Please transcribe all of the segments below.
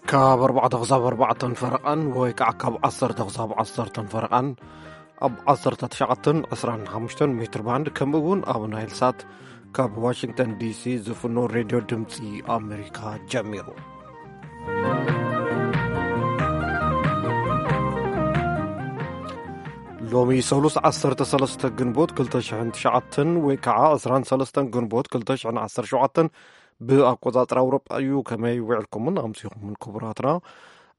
ካብ ኣርባዕተ ክሳብ ኣርባዕተን ፈረቓን ወይ ከዓ ካብ ዓሰርተ ክሳብ ዓሰርተን ፈረቓን ኣብ ዓሰርተ ትሽዓተን ዕስራን ሓሙሽተን ሜትር ባንድ፣ ከምኡ እውን ኣብ ናይል ሳት ካብ ዋሽንግተን ዲሲ ዝፍኖ ሬድዮ ድምፂ ኣሜሪካ ጀሚሩ። ሎሚ ሰሉስ ዓሰርተ ሰለስተ ግንቦት ክልተ ሽሕን ትሽዓተን ወይ ከዓ ዕስራን ሰለስተን ግንቦት ክልተ ሽሕን ዓሰርተ ሸውዓተን ብኣቆጻጽራ ኣውሮጳ እዩ። ከመይ ውዕልኩምን ኣምሲኹምን ክቡራትና?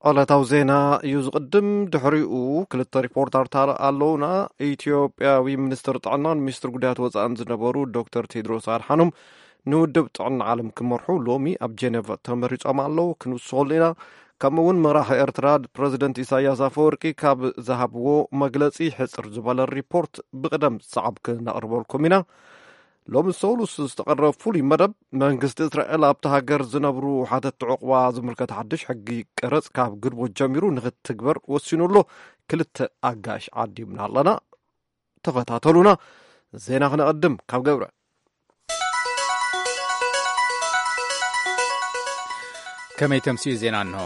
ዕለታዊ ዜና እዩ ዝቕድም። ድሕሪኡ ክልተ ሪፖርተርታት ኣለውና። ኢትዮጵያዊ ሚኒስትር ጥዕናን ሚኒስትር ጉዳያት ወጻእን ዝነበሩ ዶክተር ቴድሮስ ኣድሓኖም ንውድብ ጥዕና ዓለም ክመርሑ ሎሚ ኣብ ጀኔቭ ተመሪጾም ኣለዉ። ክንውስኸሉ ኢና። ከምኡ እውን መራሒ ኤርትራ ፕረዚደንት ኢሳያስ ኣፈወርቂ ካብ ዝሃብዎ መግለጺ ሕጽር ዝበለ ሪፖርት ብቕደም ሰዓብ ክነቕርበልኩም ኢና። ሎሚ ሰሉስ ዝተቐረበ ፍሉይ መደብ፣ መንግስቲ እስራኤል ኣብቲ ሃገር ዝነብሩ ሓተቲ ዕቑባ ዝምልከት ሓድሽ ሕጊ ቀረጽ ካብ ግንቦት ጀሚሩ ንኽትግበር ወሲኑ ኣሎ። ክልተ ኣጋሽ ዓዲምና ኣለና። ተኸታተሉና። ዜና ክነቐድም ካብ ገብረ። ከመይ ተምስዩ ዜና እንሆ።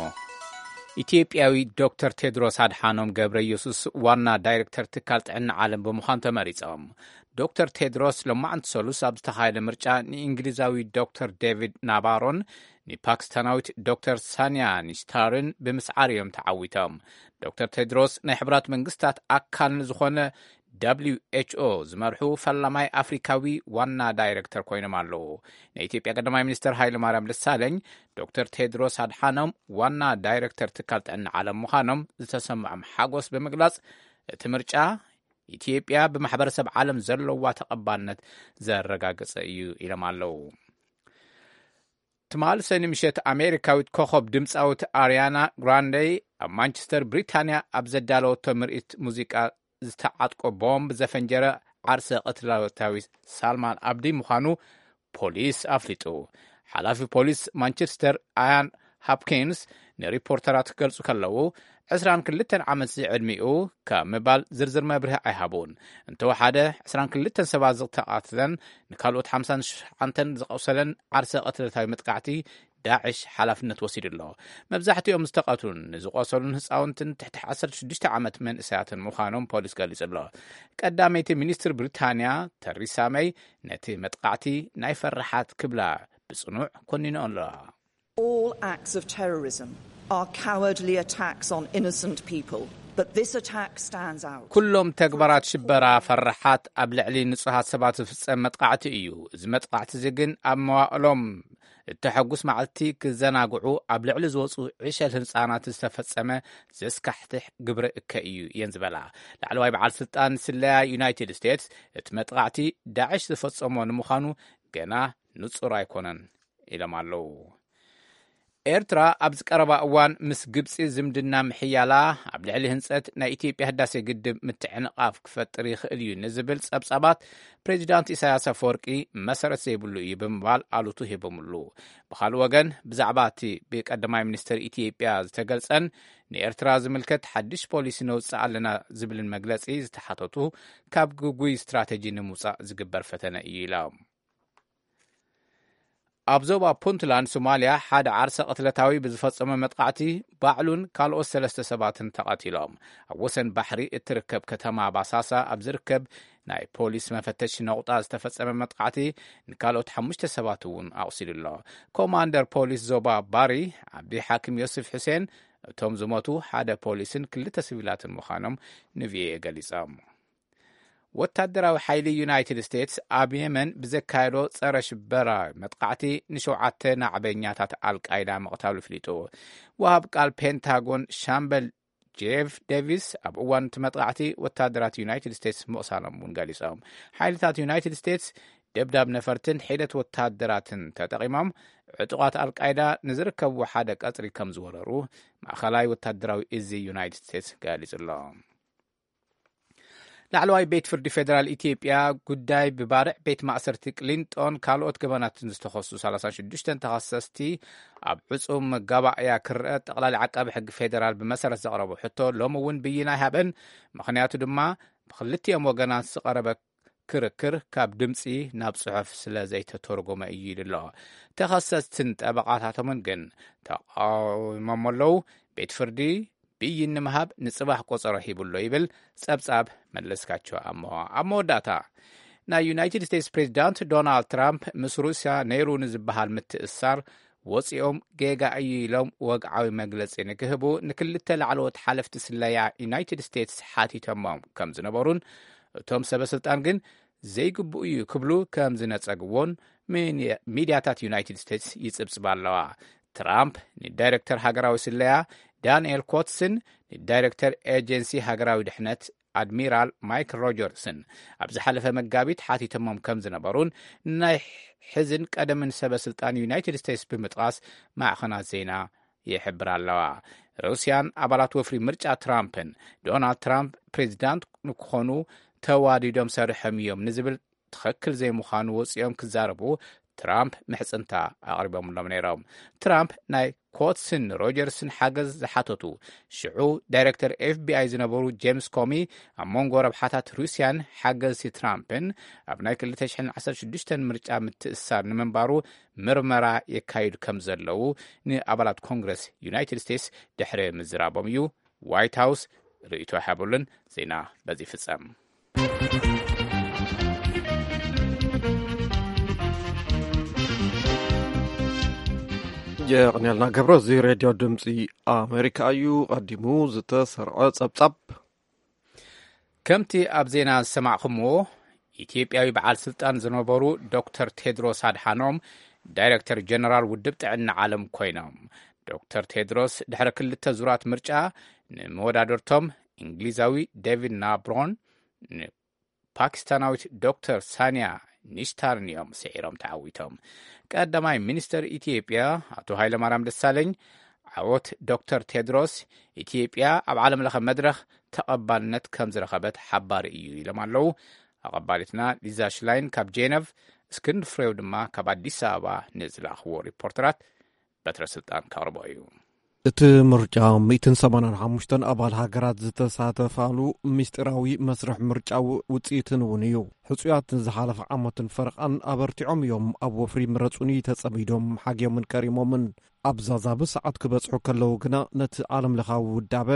ኢትዮጵያዊ ዶክተር ቴድሮስ ኣድሓኖም ገብረ ኢየሱስ ዋና ዳይሬክተር ትካል ጥዕና ዓለም ብምዃን ተመሪጾም። ዶክተር ቴድሮስ ሎማዕንቲ ሰሉስ ኣብ ዝተኻየደ ምርጫ ንእንግሊዛዊ ዶክተር ዴቪድ ናባሮን ንፓኪስታናዊት ዶክተር ሳንያ ኒስታርን ብምስዓር እዮም ተዓዊቶም። ዶክተር ቴድሮስ ናይ ሕብራት መንግስታት ኣካል ንዝኾነ ደብሊው ኤች ኦ ዝመርሑ ፈላማይ ኣፍሪካዊ ዋና ዳይሬክተር ኮይኖም ኣለዉ። ናይ ኢትዮጵያ ቀዳማይ ሚኒስትር ሃይለ ማርያም ደሳለኝ ዶክተር ቴድሮስ ኣድሓኖም ዋና ዳይሬክተር ትካል ጥዕና ዓለም ምዃኖም ዝተሰምዖም ሓጎስ ብምግላጽ፣ እቲ ምርጫ ኢትዮጵያ ብማሕበረሰብ ዓለም ዘለዋ ተቐባልነት ዘረጋገጸ እዩ ኢሎም ኣለዉ። ትማሊ ሰኒ ምሸት ኣሜሪካዊት ኮኸብ ድምፃዊት ኣርያና ግራንደይ ኣብ ማንቸስተር ብሪታንያ ኣብ ዘዳለወቶ ምርኢት ሙዚቃ ዝተዓጥቆ ቦምብ ዘፈንጀረ ዓርሰ ቅትለታዊ ሳልማን ኣብዲ ምዃኑ ፖሊስ ኣፍሊጡ። ሓላፊ ፖሊስ ማንቸስተር ኣያን ሃፕኪንስ ንሪፖርተራት ክገልጹ ከለዉ፣ ዕስራን ክልተን ዓመት ዝዕድሚኡ ካብ ምባል ዝርዝር መብርሂ ኣይሃቡን። እንተወሓደ ዕስራን ክልተን ሰባት ዝተቓትለን ንካልኦት ሓምሳን ትሽዓተን ዝቆሰለን ዓርሰ ቅትለታዊ መጥቃዕቲ ዳዕሽ ሓላፍነት ወሲዱ ኣሎ። መብዛሕትኦም ዝተቐትሉን ንዝቆሰሉን ህፃውንትን ትሕቲ ዓሰርተ ሽዱሽተ ዓመት መንእሰያትን ምዃኖም ፖሊስ ገሊጹ ኣሎ። ቀዳመይቲ ሚኒስትር ብሪታንያ ተሪሳ መይ ነቲ መጥቃዕቲ ናይ ፈራሓት ክብላ ብጽኑዕ ኮኒነኦ ኣለዋ። All acts of terrorism are cowardly attacks on innocent people, but this attack stands out. ኩሎም ተግባራት ሽበራ ፈራሓት ኣብ ልዕሊ ንጹሃት ሰባት ዝፍጸም መጥቃዕቲ እዩ። እዚ መጥቃዕቲ እዚ ግን ኣብ መዋእሎም እተሐጉስ መዓልቲ ክዘናግዑ ኣብ ልዕሊ ዝወጹ ዕሸል ህጻናት ዝተፈጸመ ዘስካሕትሕ ግብረ እከ እዩ እየን ዝበላ። ላዕለዋይ በዓል ስልጣን ስለያ ዩናይትድ ስቴትስ እቲ መጥቃዕቲ ዳዕሽ ዝፈጸሞ ንምዃኑ ገና ንጹር ኣይኮነን ኢሎም ኣለዉ። ኤርትራ ኣብዚ ቀረባ እዋን ምስ ግብጺ ዝምድና ምሕያላ ኣብ ልዕሊ ህንጸት ናይ ኢትዮጵያ ህዳሴ ግድብ ምትዕንቓፍ ክፈጥር ይኽእል እዩ ንዝብል ጸብጻባት ፕሬዚዳንት ኢሳያስ ኣፈወርቂ መሰረት ዘይብሉ እዩ ብምባል ኣሉቱ ሂቦምሉ። ብኻልእ ወገን ብዛዕባ እቲ ብቀዳማይ ሚኒስትር ኢትዮጵያ ዝተገልጸን ንኤርትራ ዝምልከት ሓድሽ ፖሊሲ ነውጽእ ኣለና ዝብልን መግለጺ ዝተሓተቱ ካብ ግጉይ ስትራተጂ ንምውጻእ ዝግበር ፈተነ እዩ ኢሎም። ኣብ ዞባ ፑንትላንድ ሶማልያ ሓደ ዓርሰ ቅትለታዊ ብዝፈጸመ መጥቃዕቲ ባዕሉን ካልኦት ሰለስተ ሰባትን ተቐቲሎም። ኣብ ወሰን ባሕሪ እትርከብ ከተማ ባሳሳ ኣብ ዝርከብ ናይ ፖሊስ መፈተሺ ነቑጣ ዝተፈጸመ መጥቃዕቲ ንካልኦት ሓሙሽተ ሰባት እውን ኣቑሲሉ ኣሎ። ኮማንደር ፖሊስ ዞባ ባሪ ዓብዲ ሓኪም ዮስፍ ሑሴን እቶም ዝሞቱ ሓደ ፖሊስን ክልተ ሲቪላትን ምዃኖም ንቪኦኤ ገሊጾም። ወታደራዊ ሓይሊ ዩናይትድ ስቴትስ ኣብ የመን ብዘካየዶ ጸረ ሽበራ መጥቃዕቲ ንሸውዓተ ናዕበኛታት ኣልቃይዳ ምቕታሉ ኣፍሊጡ። ወሃብ ቃል ፔንታጎን ሻምበል ጄፍ ዴቪስ ኣብ እዋን እቲ መጥቃዕቲ ወታደራት ዩናይትድ ስቴትስ ምቕሳሎም እውን ገሊጾም። ሓይልታት ዩናይትድ ስቴትስ ደብዳብ ነፈርትን ሒደት ወታደራትን ተጠቒሞም ዕጡቓት ኣልቃይዳ ንዝርከብዎ ሓደ ቀጽሪ ከም ዝወረሩ ማእኸላይ ወታደራዊ እዚ ዩናይትድ ስቴትስ ገሊጹ ኣሎ። ላዕለዋይ ቤት ፍርዲ ፌደራል ኢትዮጵያ ጉዳይ ብባርዕ ቤት ማእሰርቲ ቅሊንጦን ካልኦት ገበናትን ዝተኸሱ ሰላሳ ሽዱሽተ ተኸሰስቲ ኣብ ዕጹም መጋባእያ ክረአ ጠቕላሊ ዓቃቢ ሕጊ ፌደራል ብመሰረት ዘቕረቦ ሕቶ ሎሚ እውን ብይን ኣይሃበን። ምኽንያቱ ድማ ብክልቲኦም ወገናት ዝቐረበ ክርክር ካብ ድምፂ ናብ ፅሑፍ ስለ ዘይተተርጎመ እዩ ኢሉ ኣሎ። ተኸሰስትን ጠበቓታቶምን ግን ተቃዊሞሞ ኣለዉ። ቤት ፍርዲ ብይን ንምሃብ ንፅባሕ ቆፀሮ ሂቡ ኣሎ ይብል ፀብፃብ መለስካቸው ኣሞ። ኣብ መወዳእታ፣ ናይ ዩናይትድ ስቴትስ ፕሬዚዳንት ዶናልድ ትራምፕ ምስ ሩስያ ነይሩ ንዝበሃል ምትእስሳር ወፂኦም ጌጋ እዩ ኢሎም ወግዓዊ መግለፂ ንክህቡ ንክልተ ላዕለዎት ሓለፍቲ ስለያ ዩናይትድ ስቴትስ ሓቲቶሞም ከም ዝነበሩን፣ እቶም ሰበ ስልጣን ግን ዘይግብኡ እዩ ክብሉ ከም ዝነጸግዎን ሚኒ-፣ ሚድያታት ዩናይትድ ስቴትስ ይጽብጽባ ኣለዋ። ትራምፕ ንዳይሬክተር ሃገራዊ ስለያ ዳንኤል ኮትስን ንዳይሬክተር ኤጀንሲ ሃገራዊ ድሕነት ኣድሚራል ማይክል ሮጀርስን ኣብ ዝሓለፈ መጋቢት ሓቲቶሞም ከም ዝነበሩን፣ ናይ ሕዝን ቀደምን ሰበ ስልጣን ዩናይትድ ስቴትስ ብምጥቓስ ማዕኸናት ዜና ይሕብራ ኣለዋ። ሩስያን ኣባላት ወፍሪ ምርጫ ትራምፕን፣ ዶናልድ ትራምፕ ፕሬዚዳንት ንክኾኑ ተዋዲዶም ሰሪሖም እዮም ንዝብል ትኽክል ዘይምዃኑ ወፂኦም ክዛረቡ ትራምፕ ምሕፅንታ ኣቕሪቦምሎም ነይሮም። ትራምፕ ናይ ኮትስን ሮጀርስን ሓገዝ ዝሓተቱ፣ ሽዑ ዳይሬክተር ኤፍቢኣይ ዝነበሩ ጄምስ ኮሚ፣ ኣብ መንጎ ረብሓታት ሩስያን ሓገዝቲ ትራምፕን ኣብ ናይ ክልተ ሽሕን ዓሰርተ ሽዱሽተን ምርጫ ምትእስሳር ንምንባሩ ምርመራ የካይዱ ከም ዘለዉ ንኣባላት ኮንግረስ ዩናይትድ ስቴትስ ድሕሪ ምዝራቦም እዩ ዋይት ሃውስ ርእይቶ ሃበሉን። ዜና በዚ ይፍጸም። የቕንያልና ገብረ፣ እዚ ሬድዮ ድምፂ ኣሜሪካ እዩ። ቀዲሙ ዝተሰርዐ ጸብጻብ። ከምቲ ኣብ ዜና ዝሰማዕኹምዎ፣ ኢትዮጵያዊ በዓል ስልጣን ዝነበሩ ዶክተር ቴድሮስ ኣድሓኖም ዳይሬክተር ጀነራል ውድብ ጥዕና ዓለም ኮይኖም። ዶክተር ቴድሮስ ድሕሪ ክልተ ዙራት ምርጫ ንመወዳደርቶም እንግሊዛዊ ዴቪድ ናብሮን ፓኪስታናዊት ዶክተር ሳንያ ኒሽታርን እዮም ስዒሮም ተዓዊቶም። ቀዳማይ ሚኒስተር ኢትዮጵያ ኣቶ ሃይለማርያም ደሳለኝ፣ ዓወት ዶክተር ቴድሮስ ኢትዮጵያ ኣብ ዓለም ለኸ መድረኽ ተቐባልነት ከም ዝረኸበት ሓባሪ እዩ ኢሎም ኣለዉ። ኣቐባሊትና ሊዛ ሽላይን ካብ ጄነቭ፣ እስክንድር ፍሬው ድማ ካብ ኣዲስ ኣበባ ንዝለኣኽዎ ሪፖርተራት በትረ ስልጣን ከቕርቦ እዩ። እቲ ምርጫ ሚእትን ሰማንያን ሓሙሽተን ኣባል ሃገራት ዝተሳተፋሉ ምስጢራዊ መስርሕ ምርጫ ው-፣ ውጽኢትን እውን እዩ። ሕጹያት ንዝሓለፈ ዓመትን ፈረቓን ኣበርቲዖም እዮም ኣብ ወፍሪ ምረጹኒ ተጸሚዶም ሓግዮምን ከሪሞምን። ኣብ ዛዛቢ ሰዓት ክበጽሑ ከለዉ ግና ነቲ ዓለምለኻዊ ውዳበ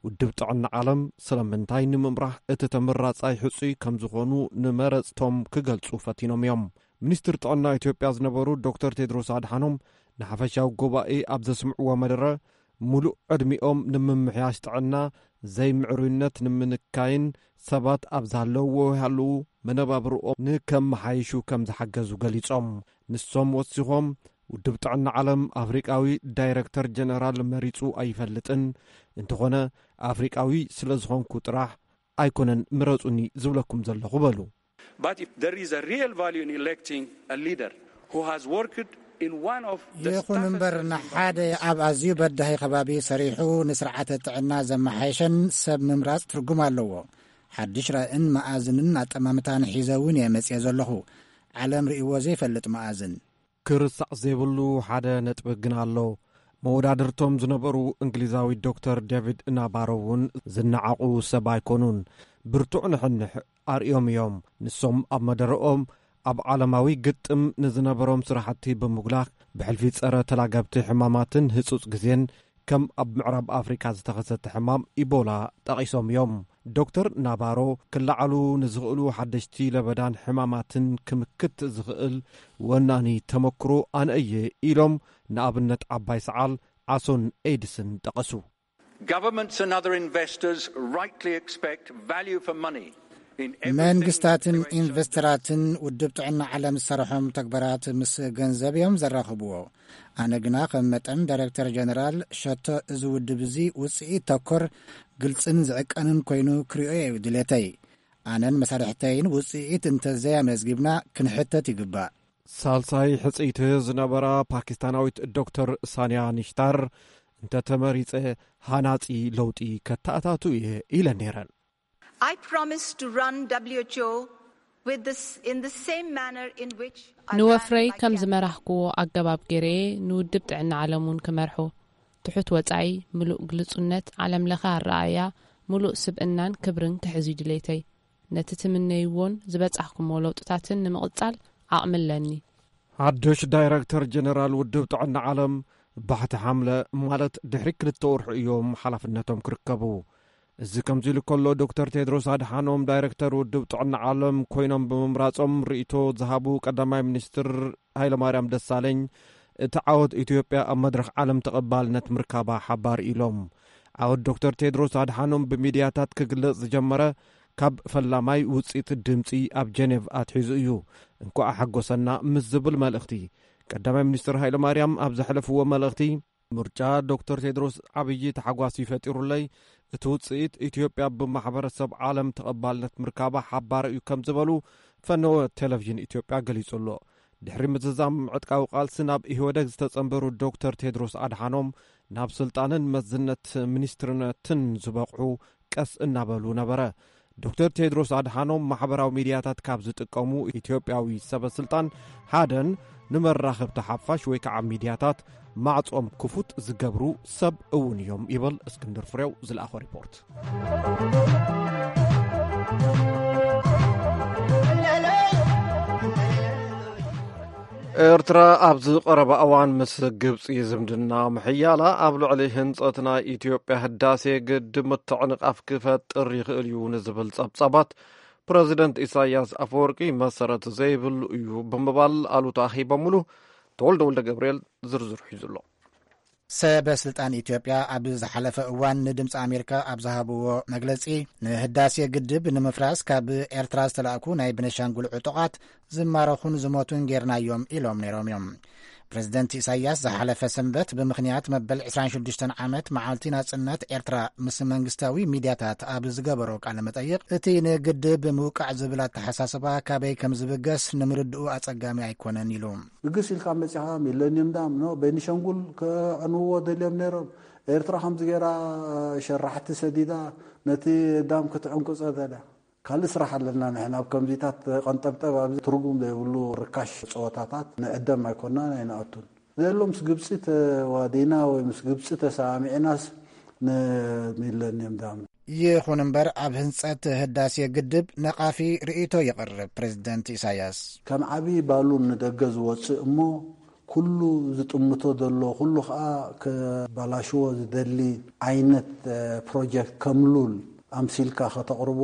ውድብ ጥዕና ዓለም ስለምንታይ ንምምራሕ እቲ ተመራጻይ ሕጹይ ከም ዝኾኑ ንመረጽቶም ክገልጹ ፈቲኖም እዮም። ሚኒስትር ጥዕና ኢትዮጵያ ዝነበሩ ዶክተር ቴድሮስ ኣድሓኖም ንሓፈሻዊ ጉባኤ ኣብ ዘስምዕዎ መደረ፣ ሙሉእ ዕድሚኦም ንምምሕያሽ ጥዕና ዘይምዕሩይነት ንምንካይን ሰባት ኣብ ዝሃለውዎ ይሃለዉ መነባብርኦም ንከመሓይሹ ከም ዝሓገዙ ገሊጾም። ንሶም ወሲኾም፣ ውድብ ጥዕና ዓለም ኣፍሪቃዊ ዳይረክተር ጀነራል መሪጹ ኣይፈልጥን፣ እንተኾነ ኣፍሪቃዊ ስለ ዝኾንኩ ጥራሕ ኣይኮነን ምረጹኒ ዝብለኩም ዘለኹ በሉ። But if there is a real value in electing a leader who has worked in one of the ይኹን እምበር፣ toughest ንሓደ ኣብ ኣዝዩ በዳሂ ከባቢ ሰሪሑ ንስርዓተ ጥዕና ዘመሓየሸን ሰብ ምምራጽ ትርጉም ኣለዎ። ሓድሽ ራእን መኣዝንን ኣጠማምታን ሒዘ እውን እየ መጽየ ዘለኹ። ዓለም ርእይዎ ዘይፈልጥ መኣዝን። ክርሳዕ ዘይብሉ ሓደ ነጥቢ ግን ኣሎ። መወዳድርቶም ዝነበሩ እንግሊዛዊ ዶክተር ዴቪድ ናባሮ እውን ዝነዓቑ ሰብ ኣይኮኑን። ብርቱዕ ንሕንሕ ኣርእዮም እዮም። ንሶም ኣብ መደረኦም ኣብ ዓለማዊ ግጥም ንዝነበሮም ስራሕቲ ብምጉላህ ብሕልፊ ጸረ ተላገብቲ ሕማማትን ህጹጽ ግዜን ከም ኣብ ምዕራብ ኣፍሪካ ዝተኸሰተ ሕማም ኢቦላ ጠቒሶም እዮም። ዶክተር ናባሮ ክለዓሉ ንዝኽእሉ ሓደሽቲ ለበዳን ሕማማትን ክምክት ዝኽእል ወናኒ ተመክሮ ኣነ እየ ኢሎም ንኣብነት ዓባይ ሰዓል፣ ዓሶን ኤድስን ጠቐሱ። Governments and other investors rightly expect value for money in every single መንግስታትን ኢንቨስተራትን ውድብ ጥዕና ዓለም ዝሰርሖም ተግባራት ምስ ገንዘብ እዮም ዘራኽብዎ። ኣነ ግና ከም መጠን ዳይሬክተር ጀነራል ሸቶ እዚ ውድብ እዚ ውፅኢት ተኮር፣ ግልፅን ዝዕቀንን ኮይኑ ክሪኦ እዩ ድሌተይ። ኣነን መሳርሕተይን ውፅኢት እንተዘያመዝጊብና ክንሕተት ይግባእ። ሳልሳይ ሕፅይቲ ዝነበራ ፓኪስታናዊት ዶክተር ሳንያ ኒሽታር፣ እንተተመሪፀ ሃናፂ ለውጢ ከተኣታቱ እየ ኢለን ነይረን። I promise to run W H O with this, in the same manner in which I ran ንወፍረይ my ከም campaign. ዝመራህክዎ ኣገባብ ገይረየ ንውድብ ጥዕና ዓለም እውን ክመርሖ። ትሑት ወጻኢ፣ ምሉእ ግልጹነት፣ ዓለምለኸ ኣረኣእያ፣ ምሉእ ስብእናን ክብርን ክሕዝ እዩ ድሌተይ። ነቲ ትምነይዎን ዝበጻሕኩምዎ ለውጥታትን ንምቕጻል ዓቕሚ ኣለኒ። ሓድሽ ዳይረክተር ጀነራል ውድብ ጥዕና ዓለም ባሕቲ ሓምለ፣ ማለት ድሕሪ ክልተ ወርሒ እዮም ሓላፍነቶም ክርከቡ። እዚ ከምዚ ኢሉ ከሎ፣ ዶክተር ቴድሮስ ኣድሓኖም ዳይረክተር ውድብ ጥዕና ዓለም ኮይኖም ብምምራጾም ርእይቶ ዝሃቡ ቀዳማይ ሚኒስትር ሃይለማርያም ደሳለኝ፣ እቲ ዓወት ኢትዮጵያ ኣብ መድረኽ ዓለም ተቐባልነት ምርካባ ሓባር ኢሎም። ዓወት ዶክተር ቴድሮስ ኣድሓኖም ብሚድያታት ክግለጽ ዝጀመረ ካብ ፈላማይ ውጽኢት ድምጺ ኣብ ጀኔቭ ኣትሒዙ እዩ። እንኳዕ ሓጎሰና ምስ ዝብል መልእኽቲ፣ ቀዳማይ ሚኒስትር ሃይለማርያም ኣብ ዘሕለፍዎ መልእኽቲ፣ ምርጫ ዶክተር ቴድሮስ ዓብዪ ተሓጓስ እዩ ፈጢሩለይ። እቲ ውጽኢት ኢትዮጵያ ብማሕበረሰብ ዓለም ተቐባልነት ምርካባ ሓባር እዩ ከም ዝበሉ ፈነወ ቴሌቪዥን ኢትዮጵያ ገሊጹ ኣሎ። ድሕሪ ምዝዛም ዕጥቃዊ ቃልሲ ናብ ኢህወደግ ዝተጸንበሩ ዶክተር ቴድሮስ ኣድሓኖም ናብ ስልጣንን መዝነት ሚኒስትርነትን ዝበቕዑ ቀስ እናበሉ ነበረ። ዶክተር ቴድሮስ ኣድሓኖም ማሕበራዊ ሚድያታት ካብ ዝጥቀሙ ኢትዮጵያዊ ሰበ ስልጣን ሓደን፣ ንመራኸብቲ ሓፋሽ ወይ ከዓ ሚድያታት ማዕጾም ክፉት ዝገብሩ ሰብ እውን እዮም ይብል እስክንድር ፍሬው ዝለኣኾ ሪፖርት። ኤርትራ ኣብዚ ቀረባ እዋን ምስ ግብጺ ዝምድና ምሕያላ ኣብ ልዕሊ ህንጸት ናይ ኢትዮጵያ ህዳሴ ግድብ ምትዕንቓፍ ክፈጥር ይኽእል እዩ ንዝብል ጸብጻባት ፕረዚደንት ኢሳያስ ኣፈወርቂ መሰረት ዘይብሉ እዩ ብምባል ኣሉታ ኣኺቦምሉ። ተወልደ ወልደ ገብርኤል ዝርዝር ሒዙ ኣሎ። ሰበ ስልጣን ኢትዮጵያ ኣብ ዝሓለፈ እዋን ንድምፂ ኣሜሪካ ኣብ ዝሃብዎ መግለፂ፣ ንህዳሴ ግድብ ንምፍራስ ካብ ኤርትራ ዝተላእኩ ናይ ቤኒሻንጉል ዕጡቓት ዝማረኹን ዝሞቱን ጌርናዮም ኢሎም ነይሮም እዮም። ፕሬዚደንት ኢሳያስ ዝሓለፈ ሰንበት ብምኽንያት መበል ዕስራን ሽዱሽተን ዓመት መዓልቲ ናጽነት ኤርትራ ምስ መንግስታዊ ሚድያታት ኣብ ዝገበሮ ቃለ መጠይቕ፣ እቲ ንግድብ ምውቃዕ ዝብል ኣተሓሳስባ ካበይ ከም ዝብገስ ንምርድኡ ኣጸጋሚ ኣይኮነን ኢሉ። ብግስ ኢልካ መጺኻ ሚለኒየም ዳም ኖ ቤኒሻንጉል ከዕንውዎ ደልዮም ነይሮም። ኤርትራ ከምዚ ገይራ ሸራሕቲ ሰዲዳ ነቲ ዳም ክትዕንቁ ጸደዳ። ካልእ ስራሕ ኣለና ንሕና። ኣብ ከምዚታት ቀንጠብጠብ ኣብዚ ትርጉም ዘይብሉ ርካሽ ጸወታታት ንዕደም ኣይኮናን ኣይንኣቱን። ዘሎ ምስ ግብጺ ተዋዲና ወይ ምስ ግብጺ ተሰማሚዕናስ ንሚለኒየም ዳም። ይኹን እምበር ኣብ ህንጸት ህዳሴ ግድብ ነቓፊ ርእይቶ የቕርብ ፕሬዝደንት ኢሳያስ። ከም ዓቢ ባሉን ንደገ ዝወጽእ እሞ ኩሉ ዝጥምቶ ዘሎ፣ ኩሉ ኸኣ ከባላሽዎ ዝደሊ ዓይነት፣ እ፣ ፕሮጀክት ከም ሉል ኣምሲልካ ከተቕርቦ፣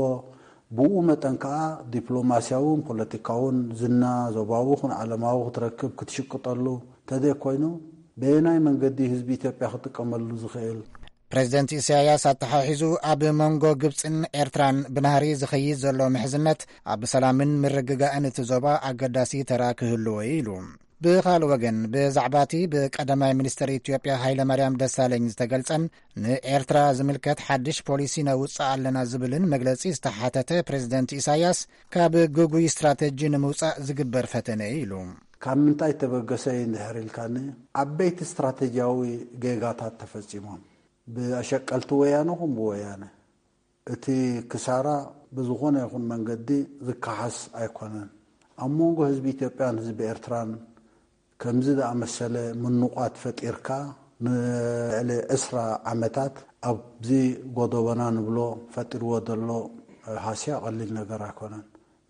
ብኡ መጠን ከኣ ዲፕሎማስያውን ፖለቲካውን ዝና ዞባዊ ኹን ዓለማዊ ክትረክብ ክትሽቅጠሉ እንተዘይኮይኑ፣ በየናይ መንገዲ ህዝቢ ኢትዮጵያ ክጥቀመሉ ዝኽእል? ፕሬዝደንት ኢሳያስ ኣተሓሒዙ፣ ኣብ መንጎ ግብጽን ኤርትራን ብናህሪ ዝኸይድ ዘሎ ምሕዝነት ኣብ ሰላምን ምርግጋእን እቲ ዞባ ኣገዳሲ ተራ ክህልዎ እዩ ኢሉ። ብኻልእ ወገን፣ ብዛዕባ እቲ ብቀዳማይ ሚኒስትር ኢትዮጵያ ሃይለማርያም ደሳለኝ ዝተገልጸን ንኤርትራ ዝምልከት ሓድሽ ፖሊሲ ነውጽእ ኣለና ዝብልን መግለጺ ዝተሓተተ ፕሬዝደንት ኢሳያስ፣ ካብ ግጉይ ስትራተጂ ንምውጻእ ዝግበር ፈተነ እዩ ኢሉ። ካብ ምንታይ ተበገሰ እንድሕር ኢልካኒ፣ ዓበይቲ ስትራተጂያዊ ጌጋታት ተፈጺሞም። ብኣሸቀልቲ ወያነ ኹን ብወያነ። እቲ ክሳራ ብዝኾነ ይኹን መንገዲ ዝከሓስ ኣይኮነን። ኣብ መንጎ ህዝቢ ኢትዮጵያን ህዝቢ ኤርትራን ከምዚ ዝኣመሰለ ምንቋት ፈጢርካ፣ ንልዕሊ ዕስራ ዓመታት ኣብዚ ጎደቦና ንብሎ ፈጢርዎ ዘሎ ሃስያ ቀሊል ነገር ኣይኮነን።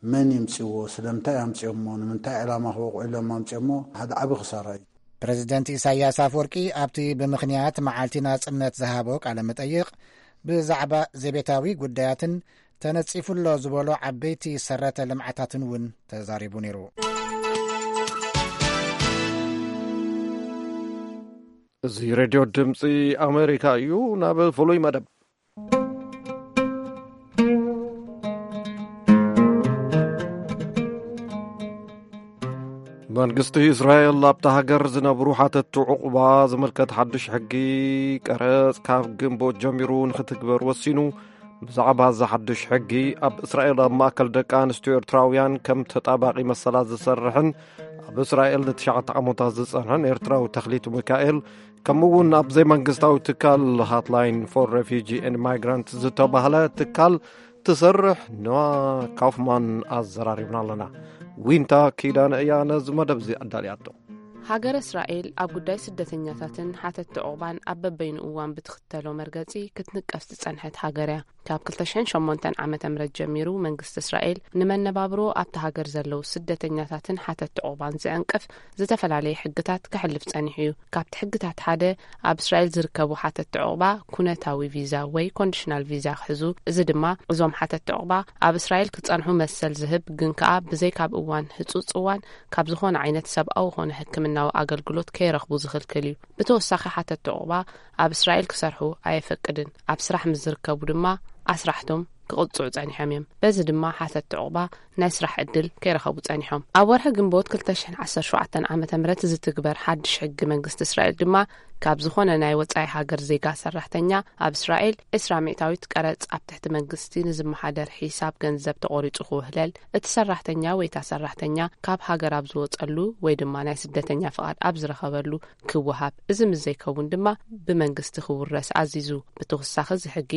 መን ይምጽእዎ? ስለምንታይ ኣምጽኦሞ? ንምንታይ ዕላማ ክወቕዑ ኢሎም ኣምጽኦሞ? ሓደ ዓቢ ክሳራ እዩ። ፕረዚደንት ኢሳያስ ኣፈወርቂ ኣብቲ ብምኽንያት መዓልቲ ናጽነት ዝሃቦ ቃለ መጠይቕ፣ ብዛዕባ ዘቤታዊ ጉዳያትን ተነጺፉ ኣሎ ዝበሎ ዓበይቲ ሰረተ ልምዓታትን እውን ተዛሪቡ ነይሩ። እዚ ሬድዮ ድምፂ ኣሜሪካ እዩ። ናብ ፍሉይ መደብ። መንግስቲ እስራኤል ኣብታ ሃገር ዝነብሩ ሓተትቲ ዕቑባ ዝምልከት ሓድሽ ሕጊ ቀረጽ ካብ ግንቦት ጀሚሩ ንኽትግበር ወሲኑ። ብዛዕባ እዚ ሓድሽ ሕጊ፣ ኣብ እስራኤል ኣብ ማእከል ደቂ ኣንስትዮ ኤርትራውያን ከም ተጣባቒ መሰላት ዝሰርሕን ኣብ እስራኤል ንትሽዓተ ዓመታት ዝጸንሐን ኤርትራዊ ተኽሊት ሚካኤል፣ ከምኡ እውን ኣብ ዘይመንግስታዊ ትካል ሃትላይን ፎር ሬፊጂ ኤንድ ማይግራንት ዝተባህለ ትካል ትሰርሕ ኖዋ ካውፍማን ኣዘራሪብና ኣለና። ዊንታ ኪዳነ እያ ነዚ መደብ እዚ ኣዳልያቶ። ሃገረ እስራኤል ኣብ ጉዳይ ስደተኛታትን ሓተትቲ ዑቕባን ኣብ በበይኑ እዋን ብትኽተሎ መርገጺ ክትንቀፍ ዝጸንሐት ሃገር እያ። ካብ ክልተ ሽሕን ሸሞንተን ዓመተ ምህረት ጀሚሩ፣ መንግስቲ እስራኤል ንመነባብሮ ኣብቲ ሃገር ዘለዉ ስደተኛታትን ሓተትቲ ዑቕባን ዝዕንቅፍ ዝተፈላለየ ሕግታት ከሕልፍ ጸኒሑ እዩ። ካብቲ ሕግታት ሓደ፣ ኣብ እስራኤል ዝርከቡ ሓተትቲ ዑቕባ ኩነታዊ ቪዛ ወይ ኮንዲሽናል ቪዛ ክሕዙ፣ እዚ ድማ እዞም ሓተትቲ ዑቕባ ኣብ እስራኤል ክጸንሑ መሰል ዝህብ፣ ግን ከኣ ብዘይ ካብ እዋን ህጹጽ እዋን ካብ ዝኾነ ዓይነት ሰብኣዊ ኾነ ሕክምናዊ ኣገልግሎት ከይረኽቡ ዝኽልክል እዩ። ብተወሳኺ፣ ሓተትቲ ዑቕባ ኣብ እስራኤል ክሰርሑ ኣየፈቅድን። ኣብ ስራሕ ምስ ዝርከቡ ድማ ኣስራሕቶም ክቕጽዑ ጸኒሖም እዮም። በዚ ድማ ሓተትቲ ዑቕባ ናይ ስራሕ ዕድል ከይረኸቡ ጸኒሖም። ኣብ ወርሒ ግንቦት ክልተ ሽሕን ዓሰርተ ሸውዓተን ዓመተ ምህረት ዝትግበር ሓድሽ ሕጊ መንግስቲ እስራኤል ድማ፣ ካብ ዝኾነ ናይ ወጻኢ ሃገር ዜጋ ሰራሕተኛ ኣብ እስራኤል ዕስራ ሚእታዊት ቀረጽ ኣብ ትሕቲ መንግስቲ ንዝመሓደር ሒሳብ ገንዘብ ተቖሪጹ ክውህለል፣ እቲ ሰራሕተኛ ወይ እታ ሰራሕተኛ ካብ ሃገር ኣብ ዝወጸሉ ወይ ድማ ናይ ስደተኛ ፍቓድ ኣብ ዝረኸበሉ ክወሃብ፣ እዚ ምስ ዘይከውን ድማ ብመንግስቲ ክውረስ ኣዚዙ። ብተወሳኺ፣ እዚ ሕጊ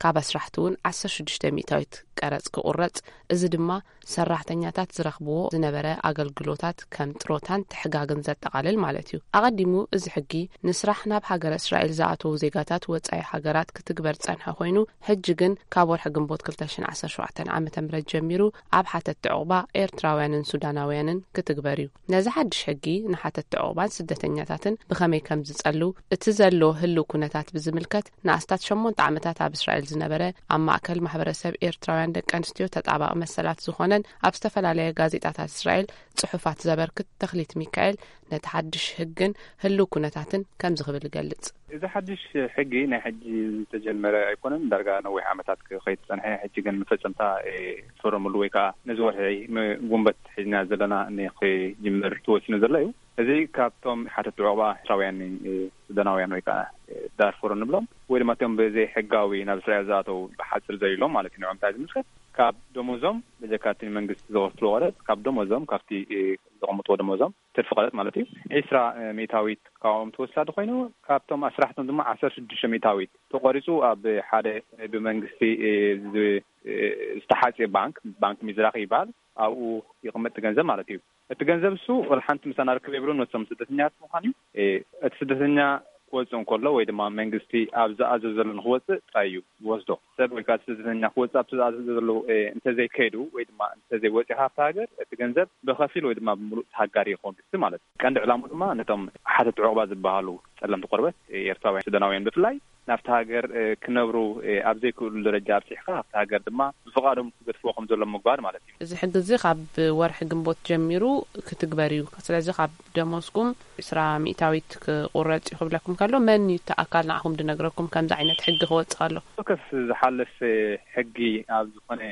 ካብ ኣስራሕቲ እውን ዓሰርተ ሽዱሽተ ሚእታዊት ቀረጽ ክቑረጽ፣ እዚ ድማ ሰራሕተኛታት ዝረኽብዎ ዝነበረ ኣገልግሎታት ከም ጥሮታን ትሕጋግን ዘጠቓልል ማለት እዩ። ኣቐዲሙ፣ እዚ ሕጊ ንስራሕ ናብ ሃገረ እስራኤል ዝኣተዉ ዜጋታት ወጻኢ ሃገራት ክትግበር ጸንሐ ኮይኑ፣ ሕጂ ግን ካብ ወርሒ ግንቦት ክልተ ሽሕን ዓሰርተ ሸውዓተን ዓመተ ምህረት ጀሚሩ ኣብ ሓተትቲ ዑቕባ ኤርትራውያንን ሱዳናውያንን ክትግበር እዩ። ነዚ ሓድሽ ሕጊ ንሓተትቲ ዑቕባን ስደተኛታትን ብኸመይ ከም ዝጸልው፣ እቲ ዘሎ ህልው ኩነታት ብዝምልከት ንኣስታት ሸሞንተ ዓመታት ኣብ እስራኤል ዝነበረ ኣብ ማእከል ማሕበረሰብ ኤርትራውያን ደቂ ኣንስትዮ ተጣባቒ መሰላት ዝኾነን ኣብ ዝተፈላለያ ጋዜጣታት እስራኤል ጽሑፋት ዘበርክት ተኽሊት ሚካኤል ነቲ ሓድሽ ሕግን ህልው ኩነታትን ከምዚ ክብል ይገልጽ። እዚ ሓድሽ ሕጊ ናይ ሕጂ ዝተጀመረ ኣይኮነን፣ ዳርጋ ነዊሕ ዓመታት ክኸይድ ዝጸንሐ፣ ሕጂ ግን መፈጸምታ፣ እ፣ ፈረምሉ ወይ ከኣ ነዚ ወርሒ ም-፣ ጉንበት ሒዝና ዘለና ንክጅምር ተወሲኑ ዘሎ እዩ። እዚ ካብቶም ሓተትቲ ዑቕባ ኤርትራውያን፣ እ፣ ሱዳናውያን ወይ ከኣ፣ እ፣ ዳርፉር እንብሎም ወይ ድማ እቶም ብዘይ ሕጋዊ ናብ እስራኤል ዝኣተው ብሓጺር ዘሊሎም ማለት እዩ። ንዕኦም እንታይ ዝምልከት፣ ካብ ደሞዞም፣ በጀካ እቲ መንግስቲ ዝኸፍልዎ ቀረጽ፣ ካብ ደሞዞም፣ ካብቲ፣ እ፣ ዘቐምጥዎ ደሞዞም፣ ትርፊ ቀረጽ ማለት እዩ፣ ዕስራ ሚእታዊት ካብኦም ተወሳዲ ኮይኑ፣ ካብቶም ኣስራሕቶም ድማ ዓሰርተ ሽዱሽተ ሚእታዊት ተቖሪጹ ኣብ ሓደ ብመንግስቲ፣ እ፣ ዝ-፣ እ፣ ዝተሓጽየ ባንክ፣ ባንክ ሚዝራኺ ይበሃል፣ ኣብኡ ይቕመጥ እቲ ገንዘብ ማለት እዩ። እቲ ገንዘብ እሱ ወላ ሓንቲ ምሳና ርክብ የብሉን፣ ነቶም ስደተኛታት ምዃን እዩ። እ፣ እቲ ስደተኛ ክወጽእ እንከሎ ወይ ድማ መንግስቲ ኣብ ዝኣዘዘሉ ንክወጽእ ጥራይ እዩ ዝወስዶ። ሰብ ወይ ከዓ ስደተኛ ክወጽእ ኣብቲ ዝኣዘዘሉ፣ እ፣ እንተዘይከይዱ ወይ ድማ እንተዘይወጺኡ ካብቲ ሃገር፣ እቲ ገንዘብ ብኸፊል ወይ ድማ ብምሉእ ተሃጋሪ ይኸውን፣ ክሲ ማለት እዩ። ቀንዲ ዕላሙ ድማ ነቶም ሓተት ዕቑባ ዝበሃሉ ጸለምቲ ቆርበት፣ እ፣ ኤርትራውያን ሱዳናውያን ብፍላይ ናብቲ ሃገር፣ እ፣ ክነብሩ፣ እ፣ ኣብ ዘይክእሉ ደረጃ ኣብጺሕካ፣ ኣብቲ ሃገር ድማ ብፍቓዶም ክገድፍዎ ከም ዘለዎም ምግባር ማለት እዩ። እዚ ሕጊ እዚ ካብ ወርሒ ግንቦት ጀሚሩ ክትግበር እዩ። ስለዚ ካብ ደሞዝኩም ዕስራ ሚእታዊት ክቑረጽ እዩ ክብለኩም ከሎ፣ መን እዩ እቲ ኣካል ንዓኹም ዝነግረኩም ከምዚ ዓይነት ሕጊ ክወጽእ ከሎ? ከስ ዝሓለፈ ሕጊ ኣብ ዝኾነ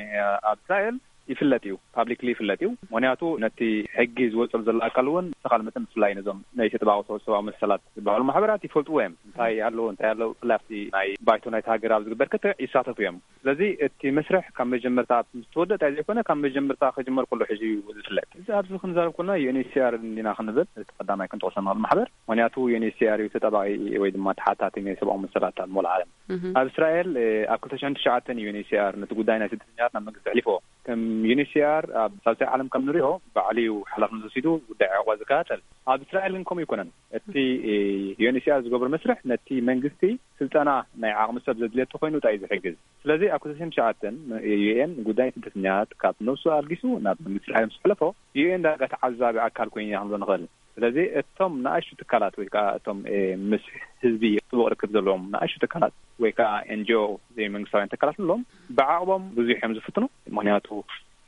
ኣብ እስራኤል ይፍለጥ እዩ፣ ፓብሊክሊ ይፍለጥ እዩ። ምኽንያቱ ነቲ ሕጊ ዝወጸሉ ዘሎ ኣካል እውን ብተኻል መጠን ብፍላይ ነዞም ናይ ተጠባቕቶ ሰብኣዊ መሰላት ዝበሃሉ ማሕበራት ይፈልጥዎ እዮም። እንታይ ኣለዎ፣ እንታይ ኣለዎ፣ ብፍላይ ኣብቲ ናይ ባይቶ ናይቲ ሃገር ኣብ ዝግበር ክትዕ ይሳተፉ እዮም። ስለዚ እቲ መስርሕ ካብ መጀመርታ ምስ ተወደአ እንታይ ዘይኮነ፣ ካብ መጀመርታ ክጅመር ከሎ ሕጂ እዩ ዝፍለጥ። እዚ ኣብዚ ክንዛረብ ከለና ዩ ኤን ኤች ሲ ኣር እንዲና ክንብል እቲ ቀዳማይ ክንጠቕሶ ንኽእል ማሕበር። ምኽንያቱ ዩ ኤን ኤች ሲ ኣር እዩ ተጠባቒ ወይ ድማ ተሓታቲ ናይ ሰብኣዊ መሰላት ኣብ መላእ ዓለም። እህ። ኣብ እስራኤል፣ እ፣ ኣብ ክልተ ሽሕን ትሽዓተን ዩ ኤን ኤች ሲ ኣር ነቲ ጉዳይ ናይ ስደተኛታት ናብ መንግስቲ ኣሕሊፎ። ከም ዩ ኤን ኤች ሲ ኣር ኣብ ሳልሳይ ዓለም ከም ንሪኦ ባዕሉ እዩ ሓላፍነት ወሲዱ ጉዳይ ዕቑባ ዝከታተል። ኣብ እስራኤል ግን ከምኡ ኣይኮነን። እቲ፣ እ፣ ዩ ኤን ኤች ሲ ኣር ዝገብሮ መስርሕ ነቲ መንግስቲ ስልጠና ናይ ዓቕሚ ሰብ ዘድልየቱ ኮይኑ ጥራይ እዩ ዝሕግዝ። ስለዚ ኣብ ክልተ ሽሕን ትሽዓተን ዩ ኤን ጉዳይ ስደተኛታት ካብ ነብሱ ኣልጊሱ ናብ መንግስቲ እስራኤል ምስ ኣሕለፎ፣ ዩ ኤን ዳርጋ ተዓዛቢ ኣካል ኮይኑ ኢና ክንብሎ ንኽእል። ስለዚ እቶም ንኣሽቱ ትካላት ወይ ከዓ እቶም፣ እ፣ ምስ ህዝቢ ጥቡቕ ርክብ ዘለዎም ንኣሽቱ ትካላት ወይ ከዓ ኤን ጂ ኦ ዘይመንግስታውያን ትካላት ኣለዎም፣ ብዓቕቦም ብዙሕ እዮም ዝፍትኑ። ምኽንያቱ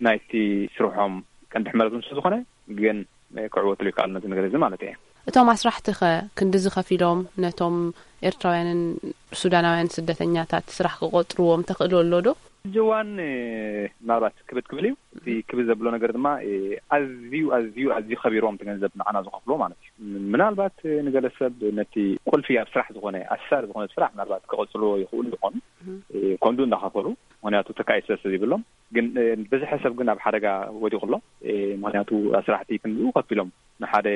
ናይቲ ስርሖም ቀንዲ ሕመረት እውን ስለ ዝኾነ፣ ግን፣ እ፣ ክዕወትሉ ይከኣል ነዚ ነገር እዚ ማለት እየ። እቶም ኣስራሕቲ ኸ ክንድዚ ከፊሎም ነቶም ኤርትራውያንን ሱዳናውያን ስደተኛታት ስራሕ ክቆጽርዎም ተኽእሎ ኣሎ ዶ? ሕጂ እዋን፣ እ፣ ምናልባት ክብድ ክብል እዩ። እቲ ክብድ ዘብሎ ነገር ድማ፣ እ፣ ኣዝዩ፣ ኣዝዩ፣ ኣዝዩ ከቢርዎም እቲ ገንዘብ ንዓና ዝኸፍልዎ ማለት እዩ። ምናልባት፣ እ፣ ንገለ ሰብ ነቲ ቁልፊ ኣብ ስራሕ ዝኾነ፣ ኣሳሪ ዝኾነ ስራሕ ምናልባት ክቐጽልዎ ይኽእሉ ይኾኑ። እህ። እ፣ ኮንዱ እንዳኸፈሉ፣ ምኽንያቱ ተካኢ ስለ ዘይብሎም። ግን፣ እ፣ ብዝሒ ሰብ ግን ኣብ ሓደጋ ወዲቑ ኣሎ። እ፣ ምኽንያቱ ኣስራሕቲ ክንድኡ ከፊሎም ንሓደ፣